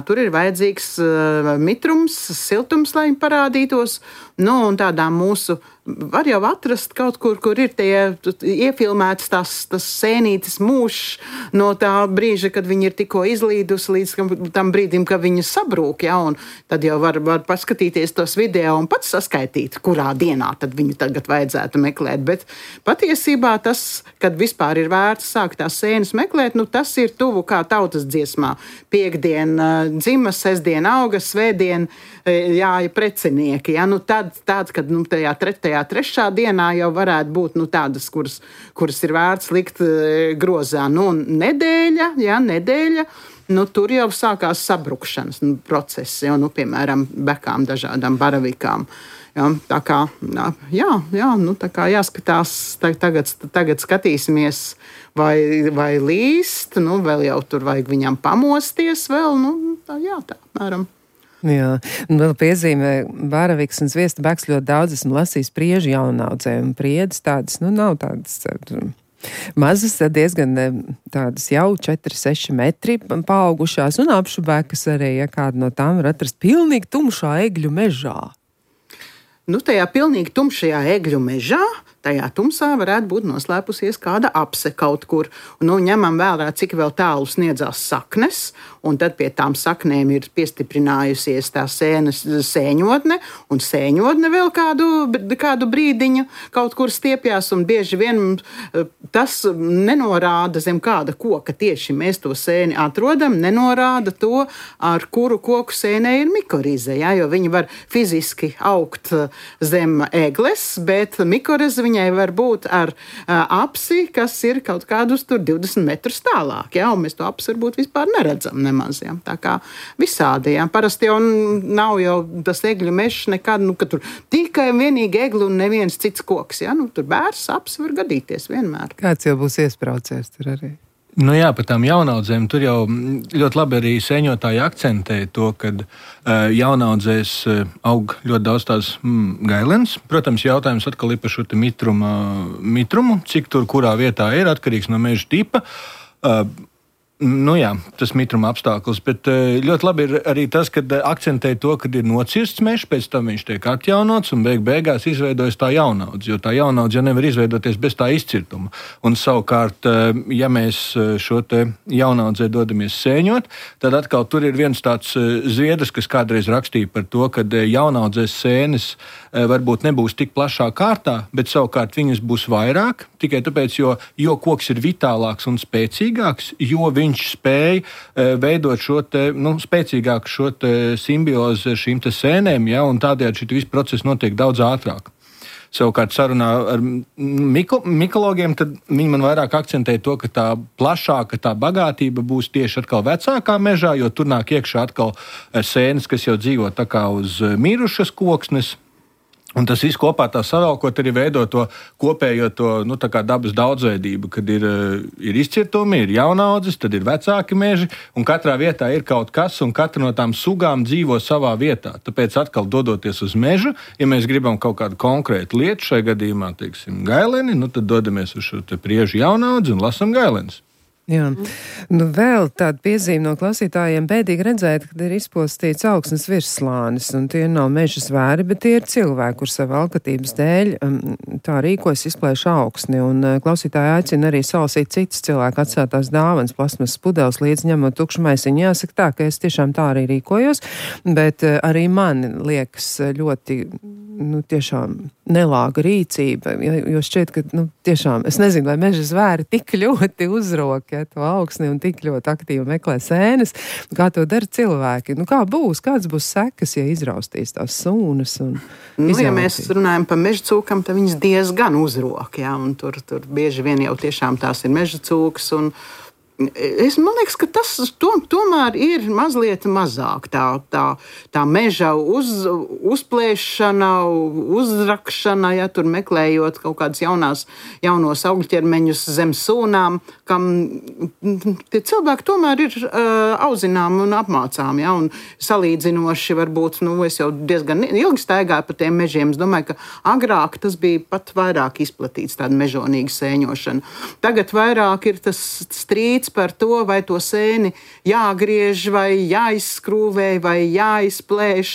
Tur ir vajadzīgs mitrums, siltums, lai viņi parādītos. Un tādā mūsu var jau atrast kaut kur, kur ir tie iefilmēts tas sēnītes mūžs no tā brīža, kad viņi ir tikko izlīdusi līdz tam brīdim, kad viņi sabrūk. Ja, un tad jau var paskatīties tos video un pats saskaitīt, kurā dienā tad viņu tagad vajadzētu meklēt. Bet patiesībā tas, kad vispār ir vērts sākt tās sēnes meklēt, tas ir tuvu kā tautas dziesmā. Piektdien dzima, sestdien auga, svētdien jāja precinieki. Ja, tad, kad tajā 3. tajā 3. dienā jau varētu būt tādas, kuras ir vērts likt grozā. Nedēļa, nedēļa. Tur jau sākās sabrukšanas procesi, piemēram, bekām, dažādām baravikām. Tā kā jāskatās, tagad skatīsimies, vai līst, vēl jau tur vajag viņam pamosties vēl, tā apmēram. Jā, un vēl piezīmē baraviks un zviesta beks ļoti daudz, esmu lasījis priežu jaunaudzē, un priedes tādas, nav tādas mazas, diezgan tādas jau 4-6 metri paaugušās, un apšubekas arī, ja kāda no tām var atrast pilnīgi tumšā egļu mežā. Tajā pilnīgi tumšajā egļu mežā, tajā tumsā varētu būt noslēpusies kāda apse kaut kur. Ņemam vērā, cik vēl tālu sniedzās saknes, un tad pie tām saknēm ir piestiprinājusies tā sēnes sēņotne, un sēņotne vēl kādu brīdiņu kaut kur stiepjās, un bieži vien tas nenorāda zem kāda koka tieši mēs to sēni atrodam, nenorāda to, ar kuru koku sēnē ir mikorize, jo viņi var fiziski augt zem egles, bet mikorize viņai var būt ar apsi, kas ir kaut kādus tur 20 metrus tālāk, un mēs to apsi varbūt vispār neredzam nemaz, tā kā visādi, Parasti jau nav jau tas egļu mežs nekad, ka tur tikai vienīgi egli un neviens cits koks, tur bērs, apsi var gadīties vienmēr. Kāds jau būs iespraucies tur arī? Jā, par tām jaunaudzēm tur jau ļoti labi arī sēņotāji akcentē to, ka jaunaudzēs aug ļoti daudz tās gailenes. Protams, jautājums atkal ir par šo mitrumu, cik tur kurā vietā ir atkarīgs no meža tipa. Jā, tas mitruma apstākļus, bet ļoti labi ir arī tas, ka akcentē to, ka ir nocirsts mežs, pēc tam viņš tiek atjaunots un beigās izveidojas tā jaunaudze, jo tā jaunaudze jau nevar izveidoties bez tā izcirtuma. Un savukārt, ja mēs šo te jaunaudzē dodamies sēņot, tad atkal tur ir viens tāds zviedrs, kas kādreiz rakstīja par to, ka jaunaudzēs sēnes varbūt nebūs tik plašā kārtā, bet savukārt viņas būs vairāk, tikai tāpēc, jo koks ir vitālāks un spēcīgāks, jo viņš spēja veidot šo te, spēcīgāku šo te simbiozi ar šīm te sēnēm, un tādējādi šī visa procesa notiek daudz ātrāk. Savukārt sarunā ar mikologiem, tad viņi man vairāk akcentē to, ka tā plašāka tā bagātība būs tieši atkal vecākā mežā, jo tur nāk iekšā atkal sēnes, kas jau dzīvo tā kā uz mirušas koksnes. Un tas viss kopā tā savēlkot arī veido to kopējo tā kā dabas daudzveidību, kad ir izcirtumi, ir jaunaudzes, tad ir vecāki meži, un katrā vietā ir kaut kas, un katra no tām sugām dzīvo savā vietā. Tāpēc atkal dodoties uz mežu, ja mēs gribam kaut kādu konkrētu lietu, šai gadījumā, teiksim, gaileni, tad dodamies uz šo te priežu jaunaudzi un lasam gailenes. Jā, vēl tāda piezīme no klausītājiem bēdīgi redzēt, kad ir izpostīts augsnes virsslānis, un tie nav meža zvēri, bet tie ir cilvēki, kur savu alkatības dēļ tā rīkojas izplēš augsni, un klausītāji aicina arī salasīt citas cilvēku atstātās dāvanas, plasmas pudeles līdz ņemot tukšu maisiņu. Jāsaka tā, ka es tiešām tā arī rīkojos, bet arī man liekas ļoti, tiešām nelāga rīcība, jo šķiet, ka, tiešām, es nezinu, vai meža zvēri tik ļoti uzrok, to augsni un tik ļoti aktīvi meklē sēnes, kā to dara cilvēki. Kāds būs sekas, ja izraustīs tās sūnas un izjautīs? Ja mēs runājam par meža cūkam, tad viņas diezgan uzrok, un tur bieži vien jau tiešām tās ir meža cūkas, un man liekas, ka tas tomēr ir mazliet mazāk tā meža uzplēšana, uzrakšana, tur meklējot kaut kādas jaunos augļķermeņus zem sūnām, kam tie cilvēki tomēr ir auzinām un apmācām, un salīdzinoši varbūt, es jau diezgan ilgi staigāju pa tiem mežiem, es domāju, ka agrāk tas bija pat vairāk izplatīts, tāda mežonīga sēņošana. Tagad vairāk ir tas strīds par to, vai to sēni jāgriež, vai jāizskrūvē, vai jāizplēš,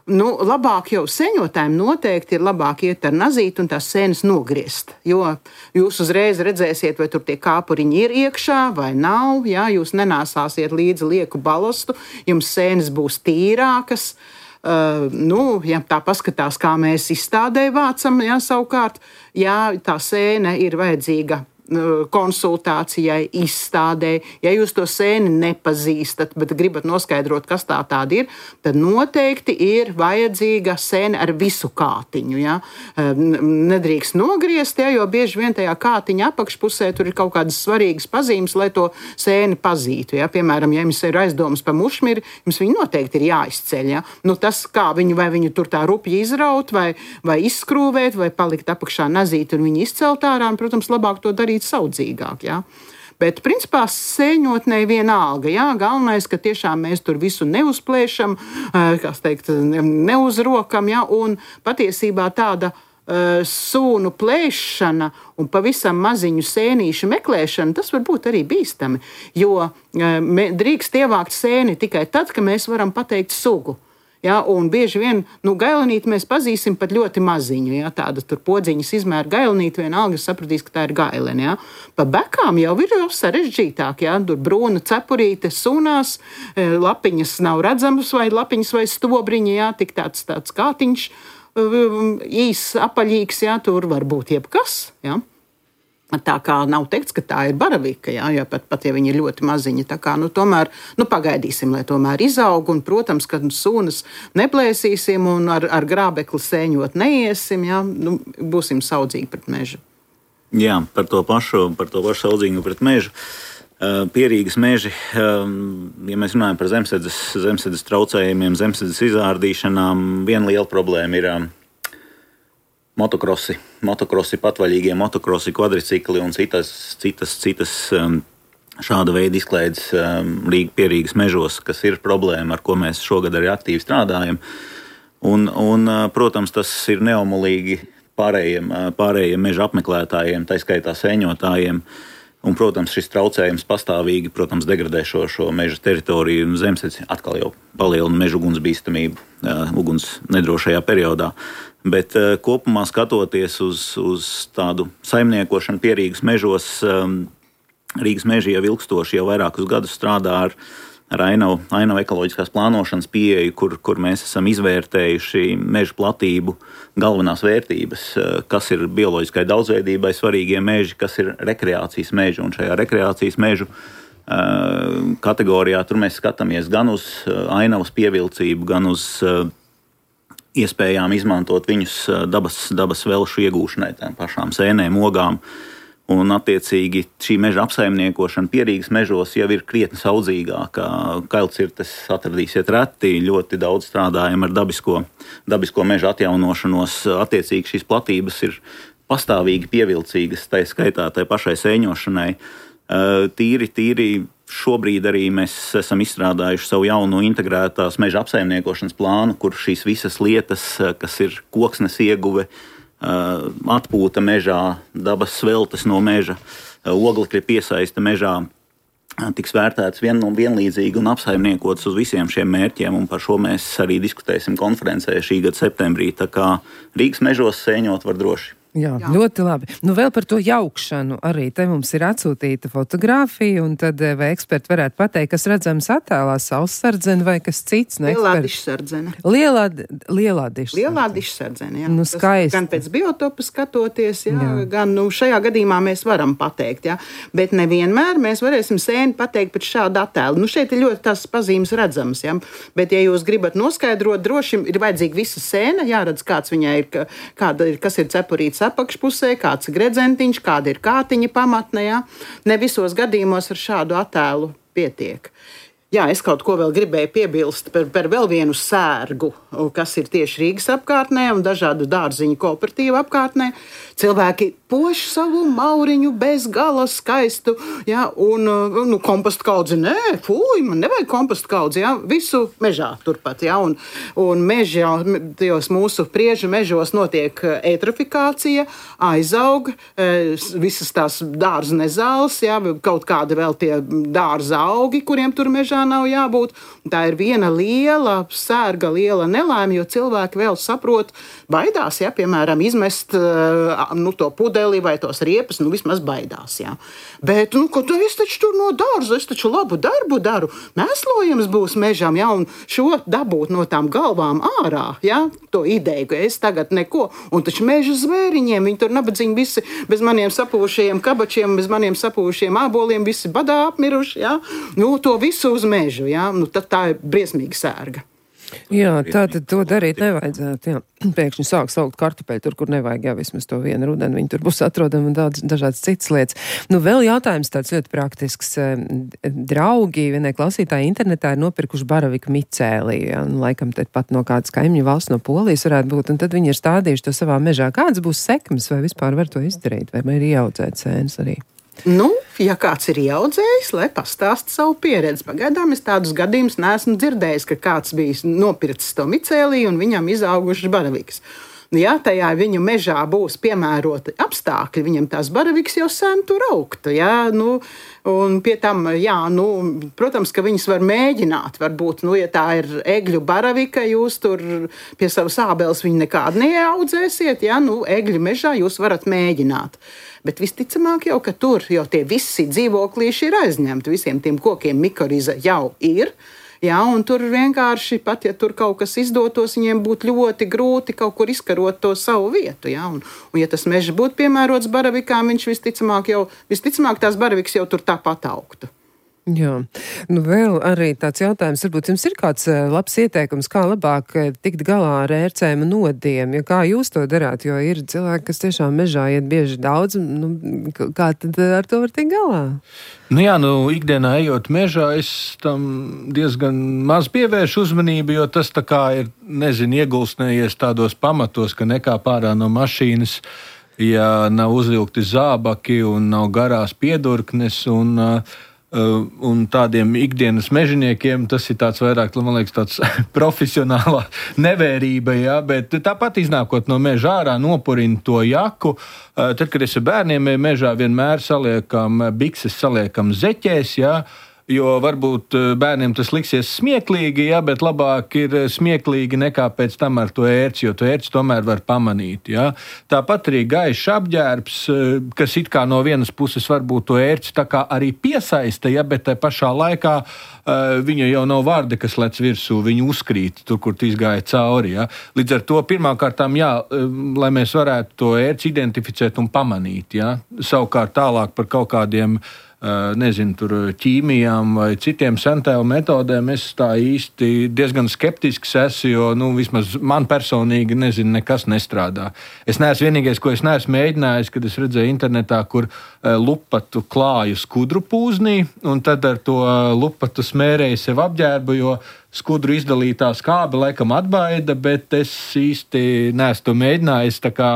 labāk jau sēņotājiem noteikti ir labāk iet ar nazīti un tās sēnes nogriezt, jo jūs uzreiz redzēsiet, vai tur tie kāpuriņi ir iekšā vai nav, jūs nenāsāsiet līdzi lieku balastu, jums sēnes būs tīrākas. Ja tā paskatās, kā mēs izstādē vācam, savukārt, tā sēne ir vajadzīga konsultācijai, izstādē. Ja jūs to sēni nepazīstat, bet gribat noskaidrot, kas tāda ir, tad noteikti ir vajadzīga sēne ar visu kātiņu. Ja? Nedrīkst nogriezt, ja, jo bieži vien tajā kātiņa apakšpusē tur ir kaut kādas svarīgas pazīmes, lai to sēni pazītu. Ja? Piemēram, ja jums ir aizdomas par mušmiri, jums viņi noteikti ir jāizceļ. Ja? Nu, tas, kā vai viņu tur tā rupji izraut, vai izskrūvēt, vai palikt apakšā nazīt un viņu izcelt ārā, un, protams, labāk to darīt saudzīgāk, jā. Bet, principā, sēņotnei vienalga, jā. Galvenais, ka tiešām mēs tur visu neuzplēšam, neuzrokam, jā. Un patiesībā tāda sūnu plēšana un pavisam maziņu sēnīšu meklēšana, tas var būt arī bīstami, jo drīkst ievākt sēni tikai tad, ka mēs varam pateikt sugu. Ja, un bieži vien gailenīti mēs pazīsim pat ļoti maziņu. Ja, tāda tur podziņas izmēra gailenīti, vienalga sapratīs, ka tā ir gailene. Ja. Pa bekām jau ir sarežģītāk. Ja, tur brūna cepurīte sunās, lapiņas nav redzamas vai lapiņas vai stobriņi, ja, tik tāds kātiņš īs, apaļīgs, ja, tur var būt jebkas. Ja. Tā kā nav teikts, ka tā ir baravika, ja pat ja viņi ir ļoti maziņi. Tā kā, tomēr, pagaidīsim, lai tomēr izaug, un, protams, ka sūnas neplēsīsim un ar grābekli sēņot neiesim, ja, būsim saudzīgi pret mežu. Jā, par to pašu saudzīgu pret mežu. Pierīgas meži, ja mēs runājam par zemsēdzes traucējumiem, zemsēdzes izārdīšanām, viena liela problēma ir motokrosi, patvaļīgie motokrosi, kvadricikli un citas šāda veida izklaides Pierīgas mežos, kas ir problēma, ar ko mēs šogad arī aktīvi strādājam. Un protams, tas ir neomulīgi pārējiem meža apmeklētājiem, tā skaitā sēņotājiem. Un, protams, šis traucējums pastāvīgi, degradē šo meža teritoriju un zemesēdzi atkal jau palielina meža ugunsbīstamību uguns nedrošajā periodā. Bet kopumā skatoties uz tādu saimniekošanu Pierīgas mežos, Rīgas meži jau ilgstoši, jau vairākus gadus strādā ar ainavu ekoloģiskās plānošanas pieeju, kur mēs esam izvērtējuši meža platību galvenās vērtības, kas ir bioloģiskai daudzveidībai svarīgie meži, kas ir rekreācijas meži. Un šajā rekreācijas mežu kategorijā tur mēs skatāmies gan uz ainavas pievilcību, gan uz iespējām izmantot viņus dabas velšu iegūšanai, tām pašām sēnēm, ogām. Un, attiecīgi, šī meža apsaimniekošana Pierīgas mežos jau ir krietni saudzīgāka. Kailcirtes atradīsiet reti, ļoti daudz strādājam ar dabisko meža atjaunošanos. Attiecīgi, šīs platības ir pastāvīgi pievilcīgas, tai skaitā tai pašai sēņošanai. Tīri šobrīd arī mēs esam izstrādājuši savu jaunu integrētās meža apsaimniekošanas plānu, kur šīs visas lietas, kas ir koksnes ieguve, atpūta mežā, dabas sveltes no meža, oglekļa piesaiste mežā, tiks vērtēts vienlīdzīgi un apsaimniekots uz visiem šiem mērķiem, un par šo mēs arī diskutēsim konferencē šī gada septembrī. Tā kā Rīgas mežos sēņot var droši. Jā, ļoti labi. Vēl par to jaukšanu arī te mums ir atsūtīta fotogrāfija, un tad vai eksperti varētu pateikt, kas redzams attēlā, saussardzene vai kas cits? Lielā dišsardzene. Lielā dišsardzene. Lielā dišsardzene, jā. Skaisti. Gan pēc biotopa skatoties, jā. Gan šajā gadījumā mēs varam pateikt, jā. Bet nevienmēr mēs varēsim sēni pateikt pēc šāda attēla. Šeit ir ļoti tās pazīmes redzamas, jā. Bet, ja jūs gribat noskaidrot, droši ir vajadzīga visa sēna, jāredz, kāds viņai ir, kas ir cepurīts apakšpusē, kāds ir gredzentiņš, kāda ir kātiņa pamatne. Ja? Ne visos gadījumos ar šādu attēlu pietiek. Jā, es kaut ko vēl gribēju piebilst par vēl vienu sērgu, kas ir tieši Rīgas apkārtnē un dažādu dārziņu kooperatīvu apkārtnē. Cilvēki poš savu mauriņu bez gala skaistu, jā, un kompostu kaudzi, man nevajag kompostu kaudzi, jā, visu mežā turpat, jā, un mežā, tajos mūsu priežu mežos notiek eitrofikācija, aizaug, visas tās dārza nezāles, jā, kaut kādi vēl tie dārza augi, kuriem tur mežā mežā nav jābūt. Tā ir viena liela sērga, liela nelaime, jo cilvēki vēl saprot, baidās, ja, piemēram, izmest to pudeli vai tos riepas, vismaz baidās, jā. Bet, es taču tur no dārza, es taču labu darbu daru, mēslojums būs mežam, jā, un šo dabūt no tām galvām ārā, jā, to ideju, ka es tagad neko, un taču meža zvēriņiem, viņi tur nabadzīgi visi bez maniem sapūšajiem kabačiem, bez maniem sapūšajiem āboliem, visi badā apmiruši, jā, to visu uz mežu, jā, tad tā ir briesmīga sērga. Jā, tātad to darīt nevajadzētu, jā. Pēkšņi sāk saukt kartupeļu tur, kur nevajag, jā, vismaz to vienu rudeni, viņi tur būs atrodami un daudz dažādas citas lietas. Vēl jautājums tāds ļoti praktisks. Draugi, vienai klausītāji internetā ir nopirkuši baraviku micēlī, jā, laikam te pat no kādas kaimiņu valsts, no Polijas varētu būt, un tad viņi ir stādījuši to savā mežā. Kādas būs sekmes, vai vispār var to izdarīt, vai ir ieaudzēt sēnes arī? Ja kāds ir ieaudzējis, lai pastāsta savu pieredzi. Pagaidām es tādus gadījumus neesmu dzirdējis, ka kāds bijis nopircis to micēlī un viņam izaugušas baravikas. Ja tajā viņu mežā būs piemēroti apstākļi, viņam tās baravikas jau sen tur augtu. Ja? Un pie tam, protams, ka viņas var mēģināt. Varbūt, ja tā ir egļu baravika, jūs tur pie savas ābeles viņu nekādu neaudzēsiet. Ja? Egļu mežā jūs varat mēģināt. Bet visticamāk jau, ka tur jau tie visi dzīvoklīši ir aizņemti. Visiem tiem kokiem mikoriza jau ir. Jā, un tur vienkārši pat, ja tur kaut kas izdotos, viņiem būtu ļoti grūti kaut kur izkarot to savu vietu. Jā, un ja tas mežs būtu piemērots baravikām, viņš visticamāk tās baravikas jau tur tāpat augtu. Jā, vēl arī tāds jautājums, varbūt jums ir kāds labs ieteikums, kā labāk tikt galā ar ērcēm un nodiem, ja kā jūs to darāt, jo ir cilvēki, kas tiešām mežā iet bieži daudz, kā tad ar to var tikt galā? Ikdienā ejot mežā, es tam diezgan maz pievēršu uzmanību, jo tas tā kā ir, iegulsnējies tādos pamatos, ka nekāp ārā no mašīnas, ja nav uzvilkti zābaki un nav garās piedurknes un tādiem ikdienas mežaniekiem tas ir tāds vairāk, man liekas, tāds profesionālā nevērība, jā, bet tāpat iznākot no meža ārā, nopurina to jaku. Tad, kad es ar bērniem mežā vienmēr bikses saliekam zeķēs, jā, jo varbūt bērniem tas liksies smieklīgi, jā, bet labāk ir smieklīgi nekā pēc tam ar to ērci, jo to ērci tomēr var pamanīt. Jā. Tāpat arī gaišs apģērbs, kas it kā no vienas puses varbūt to ērci tā kā arī piesaista, jā, bet tai pašā laikā viņa jau nav vārda, kas lec virsū, viņa uzkrīt tur, kur izgāja cauri. Jā. Līdz ar to pirmkārtām, lai mēs varētu to ērci identificēt un pamanīt. Jā. Savukārt tālāk par kaut kādiem tur ķīmijām vai citiem sentēlu metodēm es tā īsti diezgan skeptisks esmu, jo, vismaz man personīgi, nekas nestrādā. Es neesmu vienīgais, ko es neesmu mēģinājis, kad es redzēju internetā, kur lupatu klāju skudru pūznī, un tad ar to lupatu smērēju sev apģērbu, jo skudru izdalītā skābe laikam atbaida, bet es īsti neesmu to mēģinājis, tā kā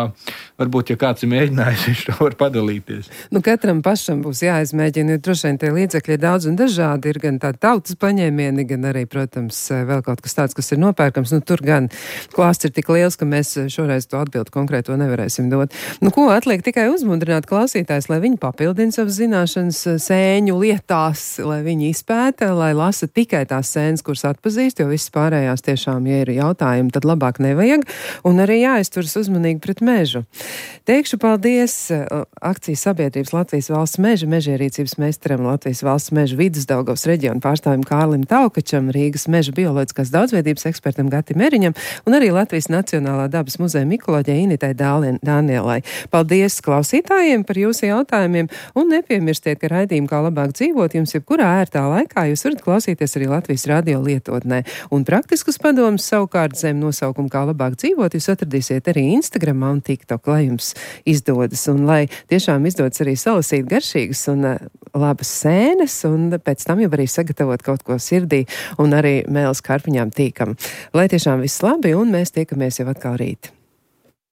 varbūt, ja kāds ir mēģinājis, viņš to var padalīties. Katram pašam būs jāizmēģina, jo droši vien tie līdzekļi ir daudz un dažādi, ir gan tādi tautas paņēmieni, gan arī, protams, vēl kaut kas tāds, kas ir nopērkams. Tur gan klāsts ir tik liels, ka mēs šoreiz to atbildi konkrēto nevarēsim dot. Ko atliek tikai uzmundrināt klausītājs, lai viņi papildina savas zināšanas sēņu lietās, lai viņi izpēta, lai lasa tikai tās sēnes, kuras atpazīst, jo viss pārējās tiešām, ja ir jautājumi, tad labāk nevajag, un arī jāizturas uzmanīgi pret mežu. Teikšu paldies akcijas sabiedrības Latvijas valsts meža mežierīcības meistaram, Latvijas valsts meža Vidusdaugavas reģionu pārstāvim Kārlim Taukačam, Rīgas meža bioloģiskās daudzveidības ekspertam Gatim Eriņam un arī Latvijas Nacionālā dabas muzeja mikoloģei Initai Dānielai. Paldies klausītājiem par jūsu jautājumiem un nepiemirstiet, ka raidījumu Kā labāk dzīvot jums jebkurā ērtā laikā jūs varat klausīties arī Latvijas radio lietotnē. Un praktiskus padomus savukārt zem nosaukumu Kā labāk dzīvot jūs atradīsiet arī Instagramā un TikTok, lai jums izdodas un lai tiešām izdodas arī salasīt garšīgas un labas sēnes un pēc tam jau arī sagatavot kaut ko sirdī un arī mēles karpiņām tīkam. Lai tiešām viss labi un mēs tiekamies jau atkal rīt.